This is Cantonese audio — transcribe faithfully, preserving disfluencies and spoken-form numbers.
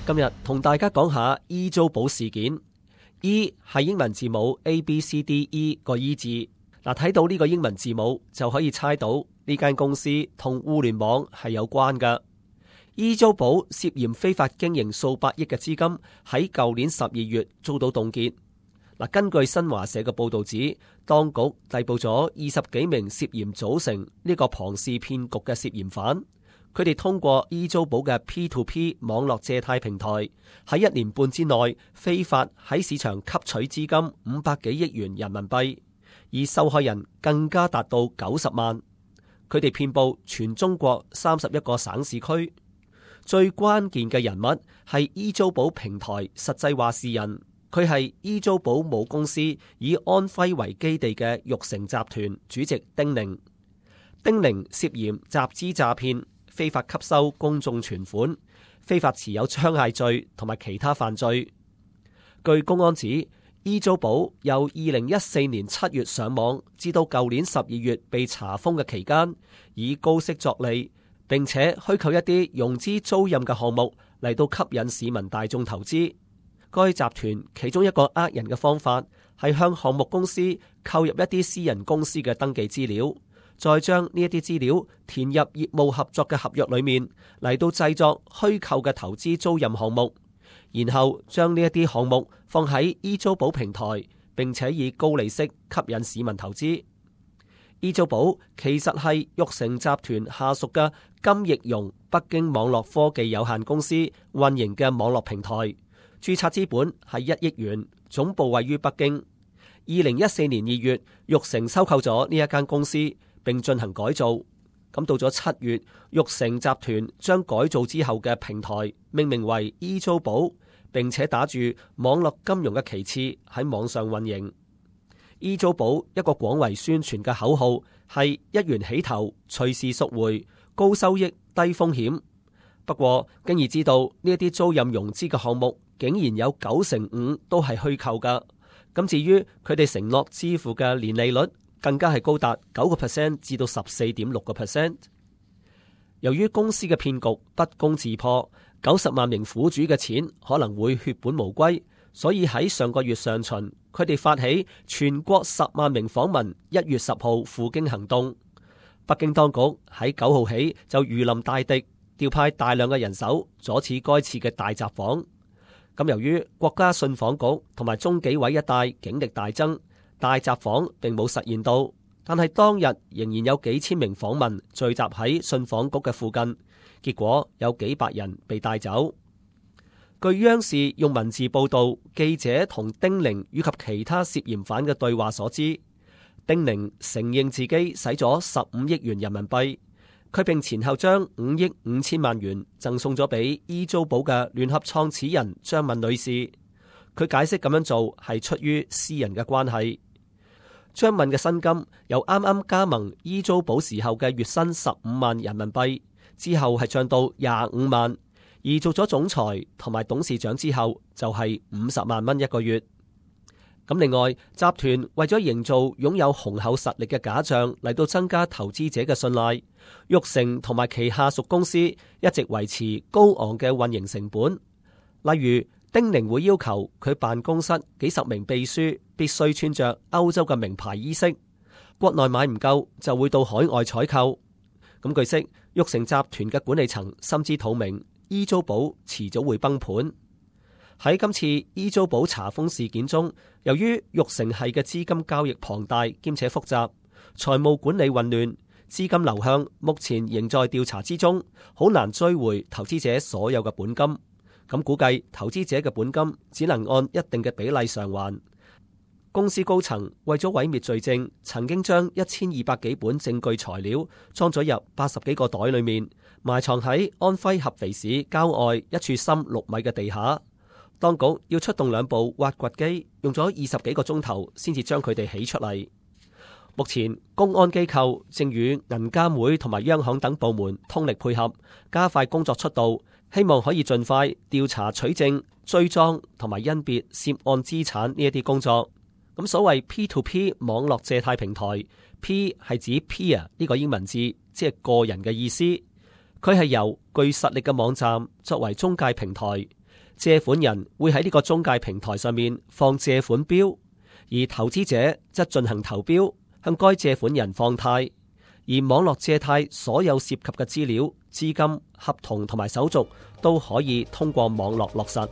今日同大家講下 E 租寶事件。E 係英文字母 A B C D E 個 E 字。嗱，睇到呢個英文字母就可以猜到呢間公司同互聯網係有關㗎。E 租寶涉嫌非法經營數百億嘅資金，喺舊年十二月遭到凍結。嗱，根據新華社嘅報導指，當局逮捕咗二十幾名涉嫌組成呢個龐氏騙局嘅涉嫌犯。佢哋通過 E 租寶嘅 P to P 網絡借貸平台，喺一年半之內非法喺市場吸取資金五百幾億元人民幣，而受害人更加達到九十萬。佢哋遍佈全中國三十一個省市區。最關鍵嘅人物係 E 租寶平台實際話事人，佢係 E 租寶母公司以安徽為基地嘅玉成集團主席丁寧。丁寧涉嫌集資詐騙、非法吸收公眾存款、非法持有槍械罪同埋其他犯罪。據公安指，E 租寶由二零一四年七月上網至到舊年十二月被查封嘅期間，以高息作利，並且虛構一啲融資租賃嘅項目嚟到吸引市民大眾投資。該集團其中一個呃人嘅方法係向項目公司購入一啲私人公司嘅登記資料，再將呢一啲資料填入業務合作嘅合約裏面，嚟到製作虛構嘅投資租賃項目，然後將呢一啲項目放喺 E 租寶平台，並且以高利息吸引市民投資。E 租寶其實係玉成集團下屬嘅金翼融北京網絡科技有限公司運營嘅網絡平台，註冊資本係一億元，總部位於北京。二零一四年二月，玉成收購咗呢一間公司，並進行改造。咁到咗七月，玉成集團將改造之後嘅平台命名為 E 租寶，並且打住網絡金融嘅旗幟喺網上運營。E 租寶一個廣為宣傳嘅口號係一元起投，隨時贖回，高收益低風險。不過經已知道呢一啲租賃融資嘅項目竟然有九成五都係虛構㗎。咁至於佢哋承諾支付嘅年利率，更加係高達九個 percent 至到十四點六個 percent。由於公司嘅騙局不攻自破，九十萬名苦主嘅錢可能會血本無歸，所以喺上個月上旬，佢哋發起全國十萬名訪民一月十號赴京行動。北京當局喺九號起就如臨大敵，調派大量嘅人手阻止該次嘅大集訪。咁由於國家信訪局同埋中紀委一帶警力大增，大集訪並冇實現到，但係當日仍然有幾千名訪民聚集喺信訪局嘅附近，結果有幾百人被帶走。據央視用文字報道記者同丁寧以及其他涉嫌犯嘅對話所知，丁寧承認自己使咗十五億元人民幣，佢並前後將五億五千萬元贈送咗俾 E 租寶嘅聯合創始人張敏女士。佢解釋咁樣做係出於私人嘅關係。張敏嘅薪金由啱啱加盟 E 租寶時候嘅月薪十五萬人民幣，之後係漲到廿五萬，而做咗總裁同埋董事長之後就係五十萬蚊一個月。咁另外，集團為咗營造擁有雄厚實力嘅假象嚟到增加投資者嘅信賴，玉成同埋其下屬公司一直維持高昂嘅運營成本。例如，丁寧會要求佢辦公室幾十名秘書必須穿着歐洲嘅名牌衣飾，國內買唔夠就會到海外採購。咁據悉，玉成集團嘅管理層心知肚明，E 租寶遲早會崩盤。喺今次 E 租寶查封事件中，由於玉成系嘅資金交易龐大兼且複雜，財務管理混亂，資金流向目前仍在調查之中，好難追回投資者所有嘅本金。咁估計投資者嘅本金只能按一定嘅比例償還。公司高層為咗毀滅罪證，曾經將一千二百幾本證據材料裝咗入八十幾個袋裏面，埋藏喺安徽合肥市郊外一處深六米嘅地下。當局要出動兩部挖掘機，用咗二十幾個鐘頭先至將佢哋起出嚟。目前公安機構正與銀監會同埋央行等部門通力配合，加快工作速度，希望可以盡快調查取證、追贓同埋甄別涉案資產呢一啲工作。咁所謂 P to P 網絡借貸平台 ，P 係指 peer 呢個英文字，即係個人嘅意思。佢係由具實力嘅網站作為中介平台，借款人會喺呢個中介平台上面放借款標，而投資者則進行投標，向該借款人放貸。而網絡借貸所有涉及嘅資料、資金、合同同埋手續都可以通過網絡落實。